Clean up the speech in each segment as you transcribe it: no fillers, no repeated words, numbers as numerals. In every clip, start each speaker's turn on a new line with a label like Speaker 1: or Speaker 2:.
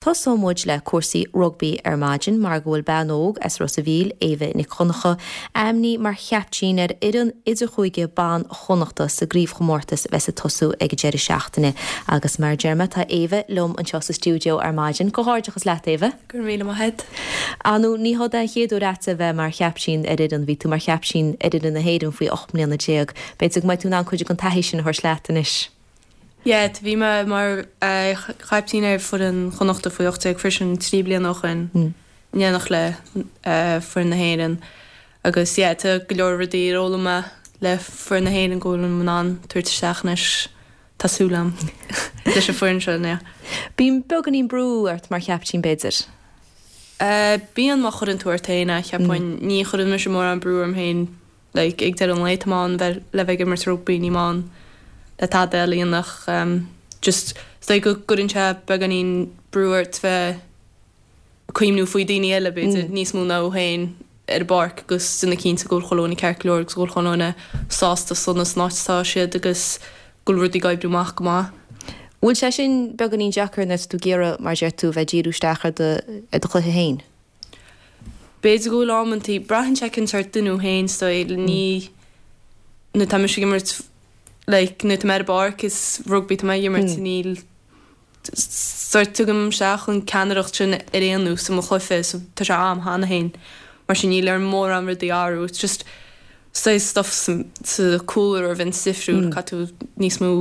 Speaker 1: Tosóidh muid le cúrsaí rugbaí ar maidin mar go bhfuil bean óg as Ros a' Mhíl, Éabha Nic Dhonncha, ainmnithe mar chaiptín ar fhoireann idirchúige ban Chonnachta sa gcraobhchomórtas a bheas ag tosú ag an deireadh seachtaine. Agus mar a deir mé, tá Éabha liom anseo sa stiúideo ar maidin. Comhghairdeachas leat, Éabha.
Speaker 2: Go raibh míle maith agat.
Speaker 1: Ar ndóigh, ní hé an chéad uair agat a bheith mar chaiptín ar fhoireann. Bhí tú mar chaiptín ar fhoireann na hÉireann faoi 18 mbliana. B'fhéidir go mbeidh tú in ann cuid den taithí sin a thabhairt leat anois.
Speaker 2: Yeah, bhí mé mar chaiptín ar foireann Chonnachta faoi 18 freisin 3 bliana ó shoin, in éineacht le foireann na hÉireann. Agus yeah, tá go leor rudaí ar fhoghlaim mé le foireann na hÉireann go bhfuilim in ann tabhairt isteach anois, tá súil agam, leis an foireann seo, yeah.
Speaker 1: Bíonn beagáinín brú ort mar chaiptín b'fhéidir?
Speaker 2: Bíonn má chuireann tú ort féin é, cheapfainn. Ní chuireann mise mórán brú orm féin Like, ag deireadh an lae, tá mé ann bheith, le bheith ag imirt rugbaí, níl mé ann le tada eile a dhéanamh ach just, is dóigh go gcuireann sé beagáinín brú ort bheith ag cuimhniú faoi daoine eile, b'fhéidir, níos mó ná thú féin ar an bpáirc agus déanamh cinnte go bhfuil chuile dhuine ceart go leor agus go bhfuil chuile dhuine sásta sona san áit atá siad agus go bhfuil rudaí ag oibriú amach go maith.
Speaker 1: Bhfuil sé sin beagáinín deacair nuair atá tú ag iarraidh, mar a deir tú, bheith ag díriú isteach ar do, ar do chluiche féin?
Speaker 2: B'fhéidir go bhfuil amantaí, braitheann sé cén sórt duine thú féin is dóigh, ní, nuair atá mise ag imirt, like, nuair atá mé ar an bpáirc is rugbaí atá mé ag imirt, níl, sórt tugaim isteach an ceannaireacht sin ar aon nós i mo chluiche so tá sé a'm cheana féin, mar sin níl orm mórán rudaí a athrú, it's just saghas stuff sa cúlra a bhíonn difriúil, caithfidh tú níos mó.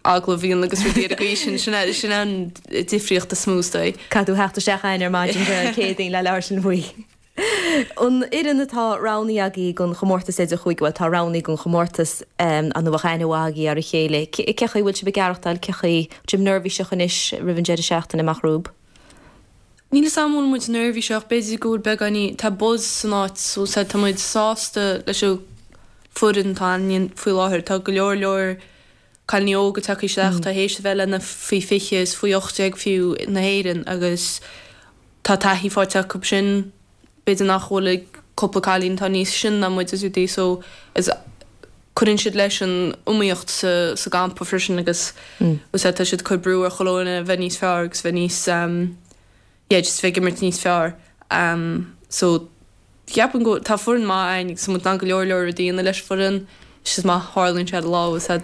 Speaker 2: agallamh a dhéanamh agus rudaí ar an gcaoi sin, sin é, sin an difríocht is mó is dóigh.
Speaker 1: Caithfidh tú theacht isteach againn ar maidin Dé Céadaoin le labhairt linn faoi. An fhoireann atá roghnaithe agaibh don chomórtas idirchúige, bhuel tá roghnaithe don chomórtas ar ndóigh bheadh aithne mhaith agaibh ar a chéile. Cé chaoi a bhfuil sibh ag aireachtáil, cé chaoi bhfuil sibh neirbhíseach anois roimh an deireadh seachtaine amach romhaibh?
Speaker 2: Níl 'fhios a'm an bhfuil muid neirbhíseach, b'fhéidir go bhfuil beagáinín, tá buzz san áit so tá muid sásta leis an foireann atá againn faoi láthair, tá go leor leor cailíní óga tagtha isteach atá théis a bheith le na faoi 20 is faoi 18 fiú na hÉireann agus tá taithí faighte acu sin b'fhéidir nach bhfuil ag cúpla cailín atá níos sine ná muid is rudaí so is cuireann siad leis an iomaíocht sa sa gcampa freisin agus mm. tá siad ag cur brú ar chuile dhuine bheith níos fearr agus bheith níos um, yeah just bheith ag imirt níos fearr um, so Ceapaim go tá foireann maith againn agus tá muid in ann go leor leor rudaí a dhéanamh leis an foireann. Is just má tharlaíonn sé ar lá is ea.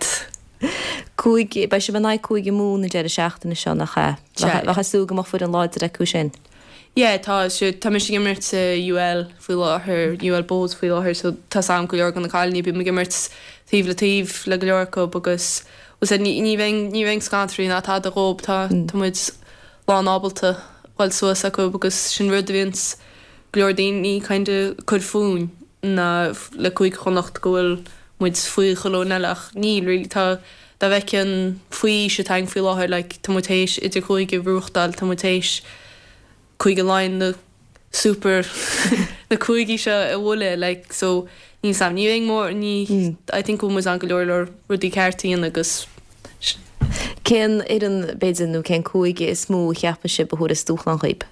Speaker 1: Cúig, beidh sibh in aghaidh Cúige Mumhan an deireadh seachtaine seo, nach ea? Sea. Bheifeá ag súil go mbeadh foireann láidir acu sin.
Speaker 2: Yeah, tá, so tá mise ag imirt sa UL faoi láthair, UL Bohs faoi láthair, so tá 's a'm go leor de na cailíní, bím ag imirt taobh le taobh le go leor acu agus bhuel sea, ní, ní bheinn, ní bheinn scanraithe ná tada dhób, tá, tá muid lán ábalta dhul suas acu agus sin rud a bhíonns go leor daoine kind of cur fúinn ná le Cúige Chonnacht go bhfuil muid faoi chuile dhuine eile ach níl really tá dá bhfeicfeá an faoi aois atá againn faoi láthair like tá muid théis idirchúige a bhuachtáil tá muid théis Cúige Laighean na super na cúigí seo a bhualadh like so níl 's a'm ní bheidh mór ní I think go bhfuil muid in ann go leor leor rudaí ceart a dhéanamh agus
Speaker 1: Cén fhoireann b'fhéidir nó cén cúige is mó a cheapann sibh a thabharfas dúshlán dhaoib?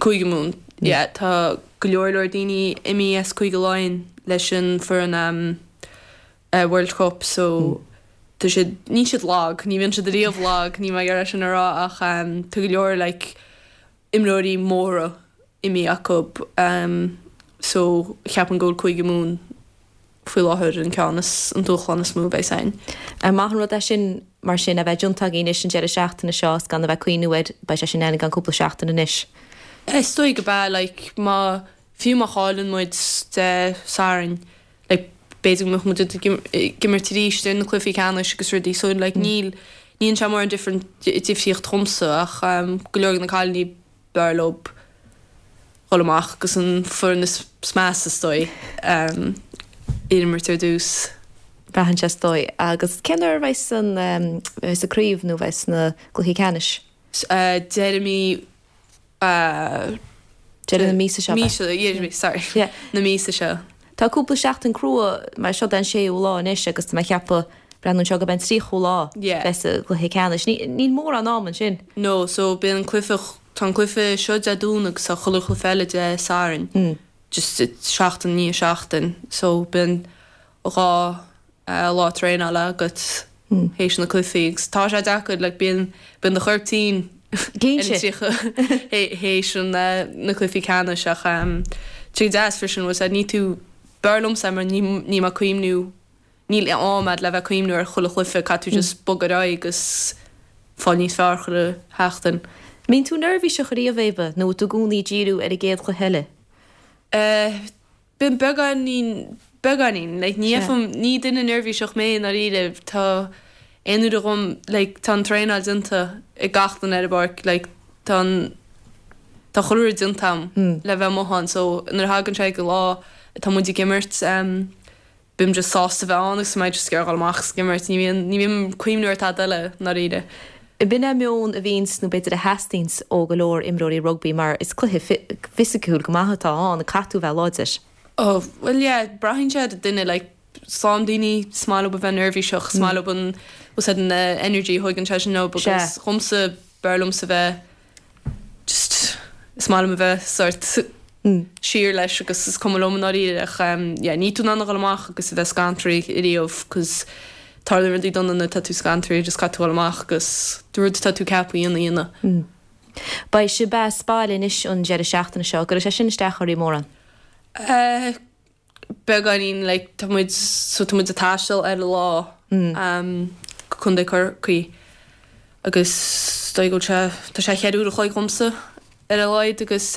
Speaker 2: Cúige Mumhan. Yeah, tá go leor leor daoine imithe as Cúige Laighean leis an foireann World Cup so tá siad, níl siad lag, ní bhíonn siad ariamh lag, níl mé ag iarraidh sin a rá ach tá go leor like imreoirí móra imithe acu so cheapfainn go bhfuil Cúige Mumhan faoi láthair an ceann is, an dúshlán is mó a bheas againn.
Speaker 1: Ar maith an rud é sin, mar sin, a bheith déanta agaibh anois an deireadh seachtaine seo is gan a bheith ag cuimhniú air, beidh sé sin ann i gceann cúpla seachtain anois.
Speaker 2: Is dóigh gurb ea, like, má, fiú má chailleann muid Dé Sathairn, like, b'fhéidir go mbeadh muid ag imirt arís ar na cluichí ceannais agus rudaí, so, like, níl, ní dhéanann sé mórán different, difríocht dhomsa ach go leor de na cailíní, b'fhearr leo dhul amach agus an foireann is measa is dóigh a imirt ar dtús.
Speaker 1: Braitheann sé is dóigh. Agus cén uair a bheas an bheas an craobh nó bheas na cluichí ceannais?
Speaker 2: Deireadh mí
Speaker 1: Deireadh na míosa seo.
Speaker 2: Míosa, yeah, sorry.
Speaker 1: Yeah.
Speaker 2: Na míosa seo.
Speaker 1: Tá cúpla seachtain crua mar seo é an séú lá anois agus tá mé ag ceapadh, breathnú anseo gurb é an tríochú lá
Speaker 2: Yeah.
Speaker 1: bheas an cluiche ceannais. Ní, níl mórán am ansin.
Speaker 2: No, so bíonn an cluiche, tá an cluiche seo Dé Domhnaigh agus tá chuile chluiche eile Dé Sathairn. Just seachtain i ndiaidh seachtain. So bíonn 2 lá traenála agat théis na cluichí agus tá sé deacair, like bíonn, bíonn do chorp tinn. Ar an 30 théis na cluichí ceannais ach tá sé go deas freisin bhfuil 's a'd ní tú b'fhearr liomsa mar ní ní mé ag cuimhniú níl am a'd le bheith ag cuimhniú ar chuile chluiche caithfidh tú just bogadh ar aghaidh agus fáil níos fearr chuile sheachtain.
Speaker 1: Mbíonn tú neirbhíseach ariamh Éabha nó tú i gcónaí ag díriú ar an gcéad chluiche eile?
Speaker 2: Eh Bím beagáinín, beagáinín, like ní fheicim, ní duine neirbhíseach mé i ndáiríre, tá aon uair dhom, like tá an traenáil déanta ag gach duine ar an bpáirc, like tá an, tá chuile rud déanta a'm le bheith amuigh ann so nuair a thagann sé ag an lá atá muid ag imirt, bím just sásta bheith ann agus tá mé just ag iarraidh dhul amach agus ag imirt, ní bhíonn, ní bhím ag cuimhniú ar tada eile i ndáiríre.
Speaker 1: B'in é meon a bhíonns, nó b'fhéidir a theastaíonns ó go leor imreoirí rugbaí mar is cluiche fisiciúil go maith atá ann, caithfidh tú a bheith láidir.
Speaker 2: Oh, bhuel yeah, braitheann sé ar an duine, like is lán daoine, is maith leo a bheith neirbhíseach, is maith leo an, bhfuil 's a'd, an energy a thugann sé sin leo agus dhomsa, b'fhearr liomsa bheith just is maith liom a bheith sort siar leis agus is cuma liom i ndáiríre ach yeah níl tú in ann a dhul amach agus a bheith scantraithe ariamh cos tarlaíonn rudaí dona nuair atá tú scantraithe just caithfidh tú dhul amach agus an rud atá tú ceaptha a dhéanamh a dhéanamh.
Speaker 1: Beidh sibh as baile anois an deireadh seachtaine seo, an gcuirfidh sé sin isteach oraibh mórán?
Speaker 2: Eh beagáinín like tá muid so tá muid ag taisteal ar an lá go Contae Chorcaí agus is dóigh go bhfuil sé tá sé cheithre uair a chloig dhomsa ar a laghad agus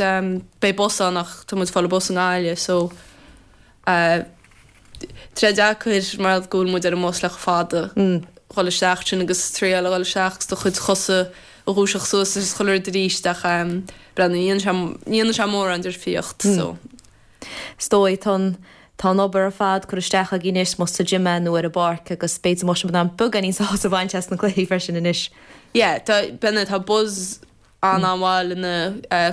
Speaker 2: beidh bus ann ach tá muid ag fáil an bus i nGaillimh so tá sé deacair mar go bhfuil muid ar an mbus le chomh fada dhul isteach sin agus triail a dhul isteach agus do chuid chosa a dhúiseacht suas agus chuile rud arís ach breathnaigh ní dhéanann sé ní dhéanann sé mórán difríocht so.
Speaker 1: Is dóigh, tá an, tá an obair ar fad curtha isteach agaibh anois, más sa gym é nó ar an bpáirc agus b'fhéidir go mbeadh sibh in ann beagáinín sásamh a bhaint as na cluichí freisin anois.
Speaker 2: Yeah, tá, b'in é, tá buzz an-an-mhaith le na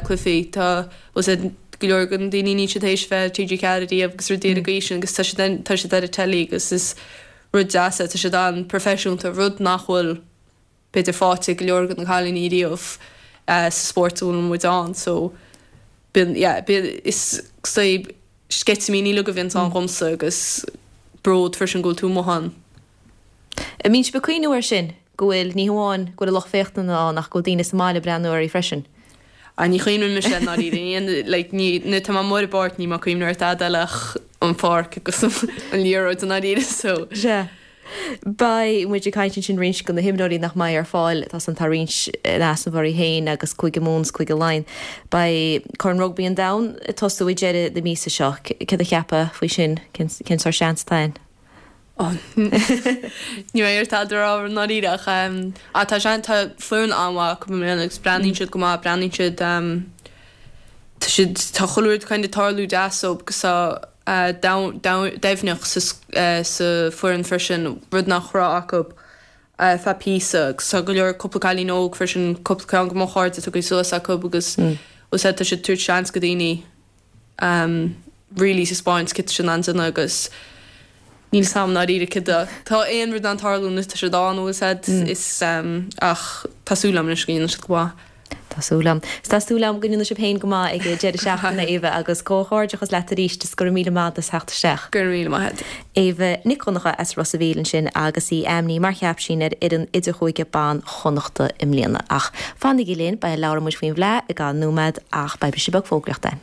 Speaker 2: cluichí, tá, bhfuil 's a'd, go leor de na daoine níl siad théis bheith ar TG4 ariamh agus rudaí ar an gcaoi sin agus tá siad, tá siad ar an telly agus is rud deas é, tá siad an-proifisiúnta, rud nach bhfuil b'fhéidir faighte ag go leor de na cailíní riamh sa spórt a bhfuil muid ann so bíonn yeah bíonn is is sceitimíní uilig a bhíonns ann dhomsa agus bród freisin go bhfuil tú amuigh ann.
Speaker 1: An mbíonn sibh ag cuimhniú air sin, go bhfuil, ní hamháin go bhfuil an lucht féachana ann ach go bhfuil daoine sa mbaile ag breathnú oraibh freisin?
Speaker 2: Ah ní chuimhníonn mise i ndáiríre, ní like ní nuair atá mé amuigh ar an bpáirc níl mé ag cuimhniú ar tada eile ach an pháirc agus an liathróid i ndáiríre
Speaker 1: so. Sea. Beidh muid ag caint ansin roinnt de na himreoirí nach mbeidh ar fáil. Tá san tá roinnt in easnamh oraibh féin agus Cúige Mumhan 's Cúige Laighean. Beidh Corn Rugbaí an Domhain ag tosú ag deireadh na míosa seo. Céard a cheapfá faoi sin? Cén cén sórt seans atá ann?
Speaker 2: Ní mbeidh ar tada a rá i ndáiríre ach ah tá sean tá foireann an-mhaith acu i mbliana agus breathnaíonn siad go maith, breathnaíonn siad tá siad tá chuile rud kind of tarlú deas dóibh agus tá doimhneacht sa foireann freisin, rud nach raibh acu feadh píosa agus tá go leor cúpla cailín óg freisin, cúpla ceann de mo chairde tugtha suas acu agus bhfuil 's a'd tá siad ag tabhairt seans go daoine really taispeáint céard tá siad in ann déanamh agus níl 's a'm i ndáiríre céard a tá aon rud in ann tarlú nuair tá siad ann bhfuil 's a'd is ach tá súil a'm anois go ndéanfaidh siad go maith.
Speaker 1: Tá súil a'm. Is tá súil a'm go ndéanfaidh sibh féin go maith ag an deireadh seachtaine, Éabha, agus comhghairdeachas leat arís is go raibh míle maith agat as theacht isteach.
Speaker 2: Go raibh míle maith agat.
Speaker 1: Éabha Nic Dhonncha as Ros a' Mhíl ansin agus í ainmnithe mar chaiptín ar fhoireann idirchúige ban Chonnachta i mbliana. Ach fanaigí linn, beidh labhróidh muid faoin bhFleadh i gceann nóiméad ach beidh briseadh beag fógraíochta ann.